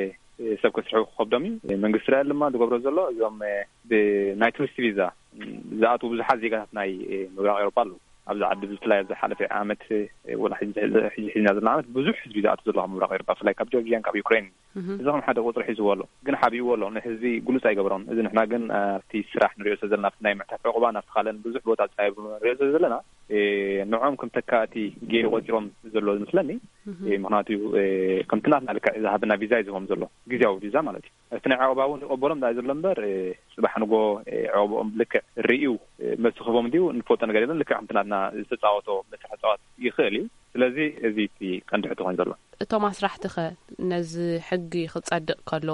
እ፣ ሰብ ከስርሑ ክኸብዶም እዩ። እ፣ መንግስቲ እስራኤል ድማ ዝገብሮ ዘሎ እዞም፣ እ፣ ብናይ ቱሪስት ቪዛ፣ እ፣ ዝኣትዉ ብዙሓት ዜጋታት ናይ፣ እ፣ ምብራቕ ኤውሮጳ ኣለዉ። ኣብዚ ዓዲ ብፍላይ ኣብዚ ሓለፈ ዓመት፣ እ፣ ወላ ሕጂ፣ ሕጂ ሒዝና ዘለና ዓመት ብዙሕ ህዝቢ ዝኣቱ ዘሎ ካብ ምብራቕ ኤውሮጳ፣ ብፍላይ ካብ ጆርጅያን ካብ ዩክሬን። እዚ ከም ሓደ ቁፅሪ ሒዝዎ ኣሎ፣ ግን ሓቢእዎ ኣሎ። ንህዝቢ ግሉፅ ኣይገበሮን። እዚ ንሕና ግን ኣብቲ ስራሕ ንሪኦ ስለ ዘለና፣ ኣብቲ ናይ ምሕታት ዕቑባ፣ ናብቲ ካልእን ብዙሕ ቦታ ፃይ ንሪኦ ስለ ዘለና፣ እ፣ ንዖም ከም ተካእቲ ገይሩ ቆፂሮም ዘሎ ዝመስለኒ። እ፣ ምክንያቱ፣ እ፣ ከምቲ ናትና ልክዕ ዝሃበና ቪዛ እዩ ዝህቦም ዘሎ፣ ግዜያዊ ቪዛ ማለት እዩ። እቲ ናይ ዕቑባ እውን ይቐበሎም ዳ ዘሎ እምበር፣ እ፣ ጽባሕ ንጎ፣ እ፣ ዕቑባኦም ልክዕ ርእዩ፣ እ፣ መልሲ ክህቦም እንዲዩ እንፈልጦ ነገር የለን። ልክዕ ከምቲ ናትና ዝተጻወቶ መስርሕ ክጻወት ይኽእል እዩ። ስለዚ እዚ እቲ ቀንዲ ሕቶ ኮይኑ ዘሎ። እቶም ኣስራሕቲ ኸ ነዚ ሕጊ ክጸድቕ ከሎ፣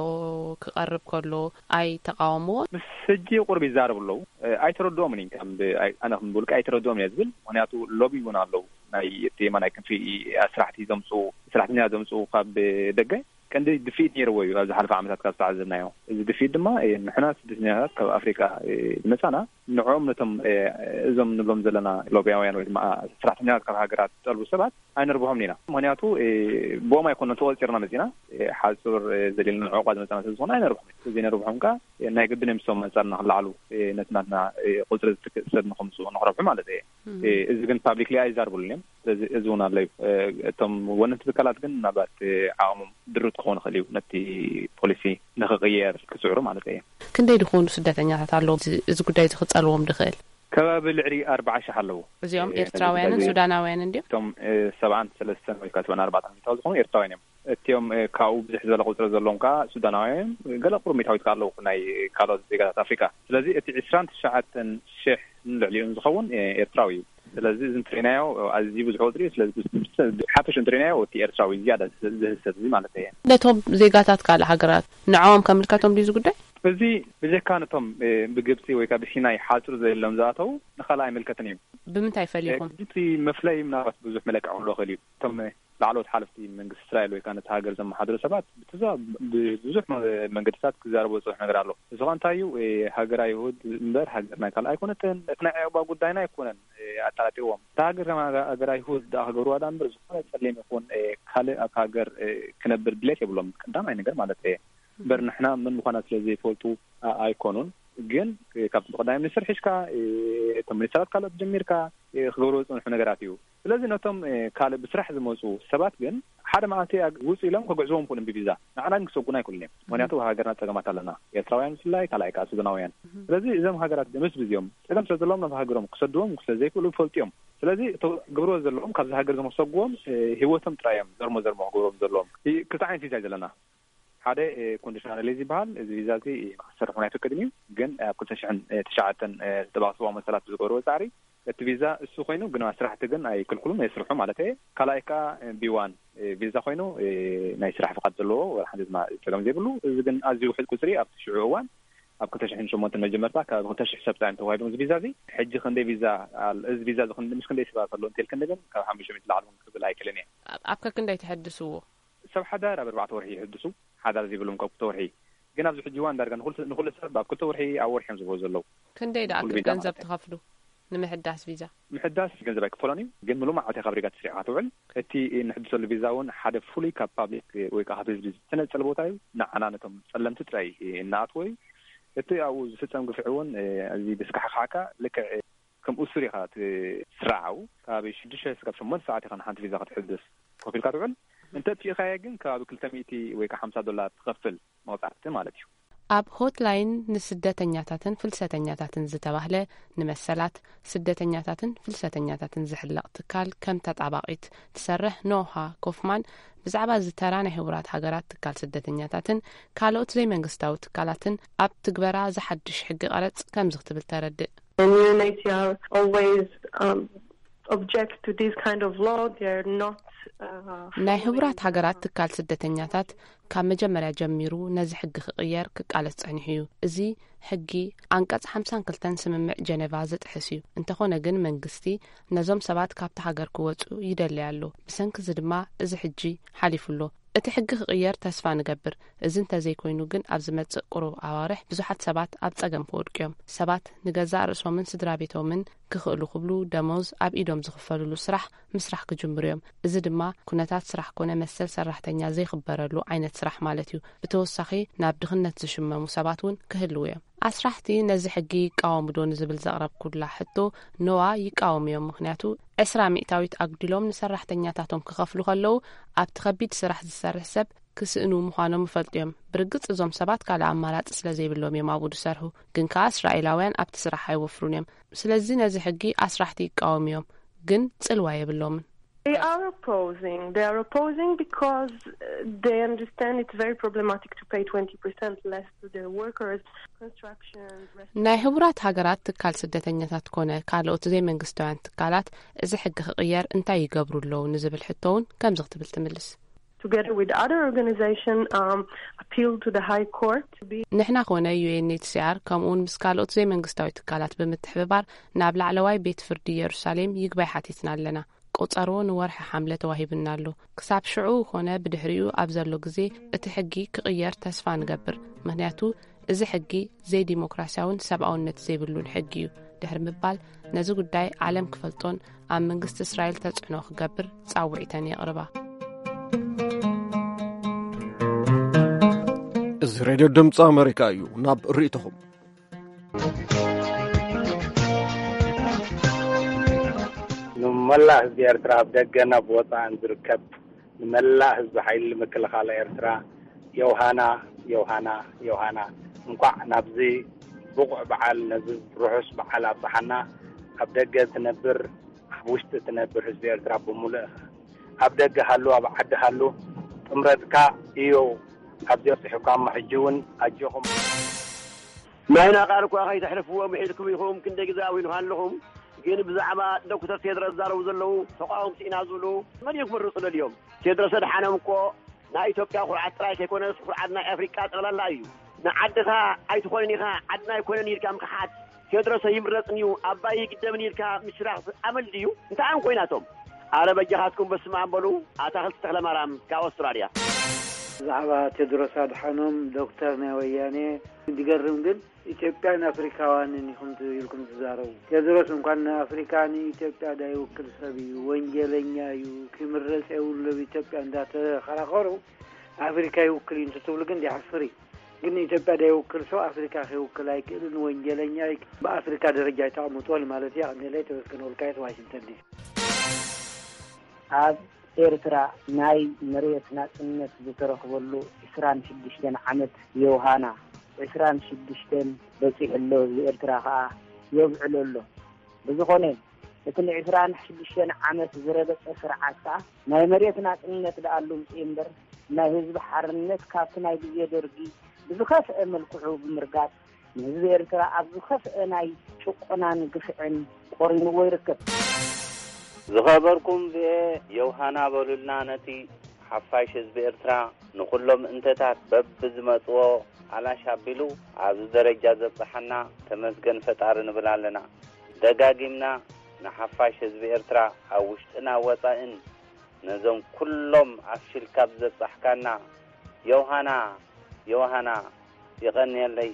ክቐርብ ከሎ ኣይተቃወምዎ? ምስ ሕጂ ቁርብ ይዛረቡ ኣለዉ። እ፣ ኣይተረድኦምን እዩ። ከም ብ-፣ ኣይ-፣ ኣነ ከም ብውልቂ ኣይተረድኦም እየ ዝብል። ምክንያቱ ሎቢ እውን ኣለዉ። ናይ እቲ የማናይ ክንፊ ኣስራሕቲ ዘምጽኡ፣ ሰራሕተኛ ዘምጽኡ ካብ ደገ ቀንዲ ድፍኢት ነይርዎ እዩ። ኣብ ዝሓለፈ ዓመታት ካብ ዝተዓዘብናዮ፣ እዚ ድፍኢት ድማ፣ እ፣ ንሕና ስደተኛታት ካብ ኣፍሪቃ፣ እ፣ ዝመጻና ንዕኦም ነቶም፣ እ፣ እዞም ንብሎም ዘለና ሎብያውያን ወይ ድማ ሰራሕተኛታት ካብ ሃገራት ዝጠልቡ ሰባት ኣይነርብሖም ኢና። ምክንያቱ፣ እ፣ ብኦም ኣይኮነን ተቆጺርና መጺና፣ እ፣ ሓጹር፣ እ፣ ዘድልየና ዕቑባ ዝመጻና ስለ ዝኾነ ኣይነርብሖም። ዘይነርብሖም ከኣ፣ እ፣ ናይ ግድን እዮም፣ ንሶም ኣንጻርና ክለዓሉ፣ እ፣ ነቲ ናትና፣ እ፣ ቁጽሪ ዝትክእ ሰብ ንኸምጽኡ ንኽረብሑ ማለት እየ። እ፣ እዚ ግን ፓብሊክሊ ኣይዛርብሉን እዮም። ስለዚ እዚ እውን ኣሎ እዩ። እ፣ እቶም ወነንቲ ትካላት ግን ምናልባት፣ እ፣ ዓቕሞም ድሩት ክኾን ይኽእል እዩ፣ ነቲ ፖሊሲ ንኽቕየር ክጽዕሩ ማለት እየ። ክንደይ ዝኾኑ ስደተኛታት ኣለዉ እዚ፣ እዚ ጉዳይ እዚ ክጸልዎም ድኽእል? ከባቢ ልዕሊ ኣርባዓ ሽሕ ኣለዉ። እዚኦም እ፣ ኤርትራውያንን ስለዚ ሱዳናውያንን ድዮም? እቶም፣ እ፣ ሰብዓን ሰለስተን ወይ ከዓ ሰብዓን ኣርባዕተን ሚእታዊ ዝኾኑ ኤርትራውያን እዮም። እቲኦም፣ እ፣ ካብኡ ብዝሕ ዝበለ ቁጽሪ ዘለዎም ከዓ ሱዳናውያን እዮም። ገለ ቁሩብ ሚእታዊት ከዓ ኣለዉ ናይ ካልኦት ዜጋታት ኣፍሪቃ። ስለዚ እቲ ዕስራን ትሽዓተን ሽሕ ንልዕሊኡን ዝኸውን፣ እ፣ ኤርትራዊ እዩ። ስለዚ እዚ እንተሪናዮ ኣዝዩ ብዙሕ ቁጽሪ እዩ። ስለዚ ብስ-፣ ብስ-፣ ብሓፈሽ እንተሪናዮ እቲ ኤርትራዊ ዝያዳ ዝ-፣ ዝህሰብ እዚ ማለት እየ። ነቶም ዜጋታት ካልእ ሃገራት ንዕኦም ከምልከቶም ድዩ እዚ ጉዳይ? እዚ ብጀካ ነቶም፣ እ፣ ብግብጺ ወይ ከዓ ብሲናይ ሓጹር ዘየሎም ዝኣተዉ ንኻልእ ኣይምልከትን እዩ። ብምንታይ እ፣ ፈሊኹም? እቲ መፍለይ ምናልባት ብዙሕ መለክዒ ክህልዎ ይኽእል እዩ። እቶም ላዕለዎት ሓለፍቲ መንግስቲ እስራኤል ወይ ከዓ ነቲ ሃገር ዘመሓድሩ ሰባት ብትዛ-፣ ብብዙሕ መ-፣ መንገድታት ክዛረቡ ዝጸንሑ ነገር ኣሎ። እዚ ኸ እንታይ እዩ? እ፣ ሃገር ኣይሁድ እምበር ሃገር ናይ ካልእ ኣይኮነትን። እቲ ናይ ዕቑባ ጉዳይና ኣይኮነን፣ እ፣ ኣጠራጢርዎም። እታ ሃገር ከም ሃገ-፣ ሃገር ኣይሁድ ደኣ ክገብርዋ ደኣ እምበር ዝኾነ ጸሊም ይኹን፣ እ፣ ካልእ ኣብታ ሃገር፣ እ፣ ክነብር ድሌት የብሎም። ቀዳማይ ነገር ማለት እየ። እምበር ንሕና መን ምዃና ስለ ዘይፈልጡ ኣ-፣ ኣይኮኑን። ግን፣ እ፣ ካብ ቀዳማይ ሚኒስትር ሒዝካ፣ እ፣ እቶም ሚኒስትራት ካልኦት ጀሚርካ፣ እ፣ ክገብርዎ ዝጸንሑ ነገራት እዩ። ስለዚ ነቶም፣ እ፣ ካልእ ብስራሕ ዝመጹ ሰባት ግን ሓደ መዓልቲ ኣግ-፣ ውጹ ኢሎም ከግዕዝዎም ይኽእሉ እዮም ብቪዛ። ንዓና ግን ክሰጉና ኣይክእሉን እዮም። ምኽንያቱ ኣብ ሃገርና ጸገማት ኣለና። ኤርትራውያን ብፍላይ፣ ካልኣይ ከኣ ሱዳናውያን። ስለዚ እዞም ሃገራት ምስ ብዚኦም ጸገም ስለ ዘለዎም ናብ ሃገሮም ክሰድዎም ስለ ዘይክእሉ ይፈልጡ እዮም። ስለዚ እቶ-፣ ክገብርዎ ዘለዎም ካብዚ ሃገር እዞም ክሰጉዎም፣ እ፣ ህይወቶም ጥራይ እዮም ዘርሞ ዘርሞ ክገብሮም ዘለዎም። እ፣ ክልተ ዓይነት ቪዛ እዩ ዘለና። ሓደ፣ እ፣ ኮንዲሽናል ሪሊዝ ይበሃል። እዚ ቪዛ እዚ ንኽትሰርሕ እውን ኣይፍቀድን እዩ። ግን ኣብ ክልተ ሽሕን ትሽዓተን፣ እ፣ ዝተባእስዎ መሰላት ብዝገበርዎ ጻዕሪ እቲ ቪዛ እሱ ኮይኑ፣ ግን ስራሕቲ ግን ኣይክልክሉን፣ የስርሑ ማለት እየ። ካልኣይ ከኣ፣ እ፣ ቢ ዋን፣ እ፣ ቪዛ ኮይኑ፣ እ፣ ናይ ስራሕ ፍቓድ ዘለዎ፣ ወላ ሓንቲ ድማ ጸገም ዘይብሉ። እዚ ግን ኣዝዩ ውሑድ ቁጽሪ ኣብቲ ሽዑ እዋን፣ ኣብ ክልተ ሽሕን ሸሞንተን መጀመርታ፣ ካብ ክልተ ሽሕ ሰብ ጥራይ ተዋሂቦም እዚ ቪዛ እዚ። ሕጂ ክንደይ ቪዛ ኣል-፣ እዚ ቪዛ እዚ ክንደይ፣ ምስ ክንደይ ሰባት ኣሎ እንተልክኒ ግን፣ ካብ ሓሙሽተ ሚእቲ ላዕሊ እውን ክብል ኣይክእልን እየ። ኣብ፣ ኣብ ከክንደይ ትሕድስዎ? ሰብ ሓዳር ኣብ ኣርባዕተ ወርሒ ይሕድሱ፣ ሓዳር ዘይብሎም ካብ ክልተ ወርሒ። ግን ኣብዚ ሕጂ እዋን ዳርጋ ንኹል-፣ ንኹሉ ሰብ ኣብ ክልተ ወርሒ፣ ኣብ ወርሒ እዮም ዝህቦ ዘለዉ። ክንደይ ደኣ ንኹሉ ቪዛ ገንዘብ ማለት እዩ። ትኸፍሉ ንምሕዳስ ቪዛ? ምሕዳስ ገንዘብ ኣይክፈሎን እዩ፣ ግን ምሉእ መዓልቲ ካብ ሪጋ ተሰሪዕካ ትውዕል። እቲ እንሕድሰሉ ቪዛ እውን ሓደ ፍሉይ ካብ ፓብሊክ ወይ ከዓ ካብ ህዝቢ ዝተነጸለ ቦታ እዩ። ንዓና ነቶም ጸለምቲ ጥራይ እናኣትዎ እዩ። እቲ ኣብኡ ዝፍጸም ግፍዒ እውን፣ እዚ ብስካሕካሕካ ልክዕ ከም እሱር ኢኻ ትስራዓው። ካብ ሽዱሽተ ክሳብ ሸሞንተ ሰዓት ኢኻ ንሓንቲ ቪዛ ክትሕድስ ኮፍ ኢልካ ትውዕል። እንተ ኣጥፊእካዮ ግን ከባቢ ክልተ ሚእቲ ወይ ከዓ ሓምሳ ዶላር ትኸፍል መቕጻዕቲ ማለት እዩ። ኣብ ሆትላይን ንስደተኛታትን ፍልሰተኛታትን ዝተባህለ ንመሰላት ስደተኛታትን ፍልሰተኛታትን ዝሕለቕ ትካል ከም ተጣባቒት ትሰርሕ ኖሃ ኮፍማን ብዛዕባ እዚ ተራ ናይ ሕቡራት ሃገራት ትካል ስደተኛታትን ካልኦት ዘይመንግስታዊ ትካላትን ኣብ ትግበራ ዝሓድሽ ሕጊ ቀረጽ ከምዚ ክትብል ተረድእ። And U N H C R always, um, object to this kind of law. They're not, uh, ናይ ሕቡራት ሃገራት ትካል ስደተኛታት ካብ መጀመርያ ጀሚሩ ነዚ ሕጊ ክቕየር ክቃለስ ጸኒሑ እዩ። እዚ ሕጊ ኣንቀጽ ሓምሳን ክልተን ስምምዕ ጀነቫ ዝጥሕስ እዩ። እንተኾነ ግን መንግስቲ ነዞም ሰባት ካብቲ ሃገር ክወጹ ይደሊ ኣሎ። ብሰንኪ እዚ ድማ እዚ ሕጂ ሓሊፉ ኣሎ። እቲ ሕጊ ክቕየር ተስፋ ንገብር። እዚ እንተዘይኮይኑ ግን ኣብ ዝመጽእ ቁሩብ ኣዋርሕ ብዙሓት ሰባት ኣብ ጸገም ክወድቁ እዮም። ሰባት ንገዛእ ርእሶምን ስድራ ቤቶምን ክኽእሉ ክብሉ ደሞዝ ኣብ ኢዶም ዝኽፈልሉ ስራሕ ምስራሕ ክጅምሩ እዮም። እዚ ድማ ኩነታት ስራሕ ኮነ መሰል ሰራሕተኛ ዘይኽበረሉ ዓይነት ስራሕ ማለት እዩ። ብተወሳኺ ናብ ድኽነት ዝሽመሙ ሰባት እውን ክህልዉ እዮም። ኣስራሕቲ ነዚ ሕጊ ይቃወሙ ዶ ንዝብል ዘቕረብኩላ ሕቶ፣ ነዋ፣ ይቃወሙ እዮም። ምኽንያቱ ዕስራ ሚእታዊት ኣጉዲሎም ንሰራሕተኛታቶም ክኸፍሉ ከለዉ፣ ኣብቲ ከቢድ ስራሕ ዝሰርሕ ሰብ ክስእኑ ምዃኖም ይፈልጡ እዮም። ብርግጽ እዞም ሰባት ካልእ ኣማራጺ ስለ ዘይብሎም እዮም ኣብኡ ዝሰርሑ። ግን ከኣ እስራኤላውያን ኣብቲ ስራሕ ኣይወፍሩን እዮም። ስለዚ ነዚ ሕጊ ኣስራሕቲ ይቃወሙ እዮም፣ ግን ጽልዋ የብሎምን። They are opposing. They are opposing because uh, they understand it's very problematic to pay twenty percent less to their workers. Construction, restaurants. ናይ ህቡራት ሃገራት ትካል ስደተኛታት ኮነ ካልኦት ዘይመንግስታውያን ትካላት እዚ ሕጊ ክቕየር እንታይ ይገብሩ ኣለዉ ንዝብል ሕቶ እውን ከምዚ ክትብል ትምልስ። Together with other organization, um, appeal to the High Court. ንሕና ኮነ ዩ ኤን ኤች ሲ ኣር ከምኡውን ምስ ካልኦት ዘይመንግስታዊ ትካላት ብምትሕብባር ናብ ላዕለዋይ ቤት ፍርዲ ኢየሩሳሌም ይግባይ ሓቲትና ኣለና። ቆጸሮ ንወርሒ ሓምለ ተዋሂብና ኣሎ። ክሳብ ሽዑ ኮነ ብድሕሪኡ ኣብ ዘሎ ግዜ እቲ ሕጊ ክቕየር ተስፋ ንገብር። ምኽንያቱ እዚ ሕጊ ዘይዲሞክራሲያውን ሰብኣውነት ዘይብሉን ሕጊ እዩ ድሕሪ ምባል፣ ነዚ ጉዳይ ዓለም ክፈልጦን ኣብ መንግስቲ እስራኤል ተጽዕኖ ክገብር ጻውዒተን የቕርባ። እዚ ሬድዮ ድምፂ ኣሜሪካ እዩ። ናብ ርእይቶኹም። ንመላእ ህዝቢ ኤርትራ፣ ኣብ ደገን ኣብ ወጻእን ዝርከብ ንመላእ ህዝቢ ሓይሊ ምክልኻል ኤርትራ፣ ዮሃና፣ ዮሃና፣ ዮሃና፣ እንኳዕ ናብዚ ብቑዕ በዓል፣ ነዚ ርሑስ በዓል ኣብጽሓና። ኣብ ደገ ትነብር፣ ኣብ ውሽጢ ትነብር ህዝቢ ኤርትራ ብምሉእ፣ ኣብ ደገ ሃሉ፣ ኣብ ዓዲ ሃሉ፣ ጥምረትካ እዩ ኣብዚ ኣብጽሑካ። እሞ ሕጂ እውን ኣጆኹም። ናይና ቃል እኳ ከይተሕልፍዎ ምሒልኩም ኢኹም፣ ክንደይ ግዜ ኣዊንኻ ኣለኹም። ግን ብዛዕባ ዶክተር ቴድሮስ ዝዛረቡ ዘለዉ ተቃወምቲ ኢና ዝብሉ፣ መን እዮም ክምርጹ ደልዮም? ቴድሮስ ኣድሓኖም እኮ ናይ ኢትዮጵያ ኩርዓት ጥራይ ከይኮነስ፣ ኩርዓት ናይ ኣፍሪቃ ጠቕላላ እዩ። ንዓድኻ ኣይትኾንን ኢኻ፣ ዓድና ኣይኮነን ኢልካ ምኽሓድ። ቴድሮስ ኣይምረጽን እዩ፣ ኣባይ ይግደብን ኢልካ ምሽራኽ ኣመል ድዩ? እንታይ እዮም ኮይናቶም? ኣረ በጃኻትኩም በስመ ኣብ በሉ። ኣታኽልቲ ተኽለማርያም ካብ ኣውስትራልያ። ብዛዕባ ቴድሮስ ኣድሓኖም ዶክተር ናይ ወያኔ ዝገርም ግን፣ ኢትዮጵያን ኣፍሪካውያንን ኢኹም ት-፣ ኢልኩም ትዛረቡ። ቴድሮስ እንኳን ንኣፍሪካ ንኢትዮጵያ ዳይውክል ሰብ እዩ፣ ወንጀለኛ እዩ፣ ክምረጽ የብሉ ኣብ ኢትዮጵያ እንዳተኸራኸሩ ኣፍሪካ ይውክል እዩ እንትትብሉ ግን ዲሓፍር እዩ። ግን ንኢትዮጵያ ዳይውክል ሰው ኣፍሪካ ከይውክል ኣይክእልን፣ ወንጀለኛ እዩ። ብኣፍሪካ ደረጃ ኣይተቐምጥዎን ማለት እዩ። ኣቕኒለይ ተመስገን ወልቃይት ዋሽንግተን ዲሲ። ኣብ ኤርትራ ናይ መሬት ናጽነት ዝተረኽበሉ ዕስራን ሽዱሽተን ዓመት የውሃና። ዕስራን ሽዱሽተን በጺሑ ኣሎ፣ ህዝቢ ኤርትራ ከኣ የብዕሎ ኣሎ። ብዝኾነ፣ እቲ ንዕስራን ሽዱሽተን ዓመት ዝረገጸ ስርዓት ከኣ ናይ መሬት ናጽነት ደኣ ኣሉምጽ እምበር፣ ናይ ህዝቢ ሓርነት ካብቲ ናይ ግዜ ደርጊ ብዝኸፍአ መልክዑ ብምርጋጽ፣ ንህዝቢ ኤርትራ ኣብ ዝኸፍአ ናይ ጭቆናን ግፍዕን ቆሪንዎ ይርከብ። ዝኸበርኩም ቪኦኤ፣ የውሃና በሉልና ነቲ ሓፋሽ ህዝቢ ኤርትራ፣ ንኹሎም እንተታት በብዝመጽዎ ኣላሽ ኣቢሉ ኣብዚ ደረጃ ዘብጽሓና ተመስገን ፈጣሪ ንብል ኣለና። ደጋጊምና ንሓፋሽ ህዝቢ ኤርትራ ኣብ ውሽጥን ኣብ ወጻእን ነዞም ኩሎም ኣፍሽልካ ብዘብጻሕካና፣ ዮሃና፣ ዮሃና፣ የቐንየለይ።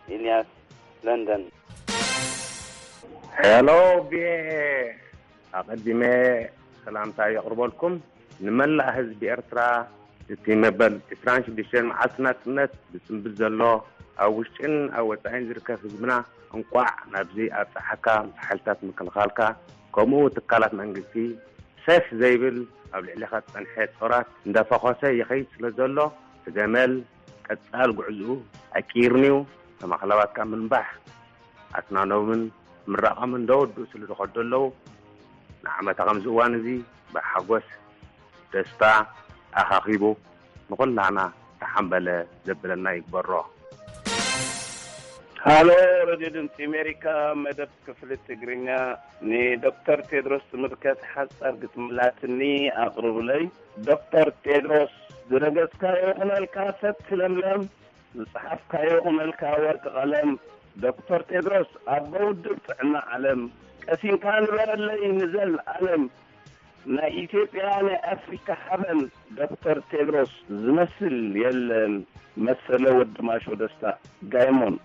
ኢልያስ፣ ለንደን። ሄሎ ቪኦኤ፣ ኣቐዲመ ሰላምታ የቕርበልኩም። ንመላእ ህዝቢ ኤርትራ፣ እቲ መበል ዕስራን ሽዱሽተን መዓልቲ ናጽነት ዝጽንብል ዘሎ፣ ኣብ ውሽጥን ኣብ ወጻኢን ዝርከብ ህዝብና፣ እንቋዕ ናብዚ ኣብጽሓካ። ምስ ሓይልታት ምክልኻልካ፣ ከምኡ ትካላት መንግስቲ፣ ሰፍ ዘይብል ኣብ ልዕሊኻ ዝጸንሐ ጾራት እንዳፈኾሰ ይኸይድ ስለ ዘሎ፣ እቲ ገመል ቀጻል ጉዕዝኡ ኣይቅይርን'ዩ። ተማኽለባትካ ምንባሕ ኣስናኖምን ምራቖምን እንዳወድኡ ስለ ዝኸዱ ኣለዉ። ንዓመታ ከምዚ እዋን እዚ ብሓጎስ ደስታ ኣኻኺቡ ንኹላና ተሓምበለ ዘብለና ይግበሮ። ሃሎ፣ ሬድዮ ድምፂ ኣሜሪካ፣ መደብ ክፍሊ ትግርኛ። ንዶክተር ቴድሮስ ዝምልከት ሓፃር ግጥሚ ላትኒ ኣቕርብለይ። ዶክተር ቴድሮስ፣ ዝረገፅካዮ ይኹነልካ ሰቲ ለምለም፣ ዝፀሓፍካዮ ይኹነልካ ወርቂ ቀለም። ዶክተር ቴድሮስ፣ ኣቦ ውድብ ጥዕና ዓለም፣ ቀሲንካ ንበረለይ ንዘለኣለም። ናይ ኢትዮጵያ ናይ ኣፍሪካ ሓበን ዶክተር ቴድሮስ ዝመስል የለን። መሰለ ወዲ ማሾ ደስታ ጋይሞን።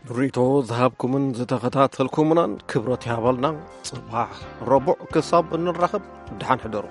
ርእይቶ ዝሃብኩምን ዝተኸታተልኩምናን ክብረት ይሃበልና። ጽባሕ ረቡዕ ክሳብ እንራኸብ ደሓን ሕደሩ።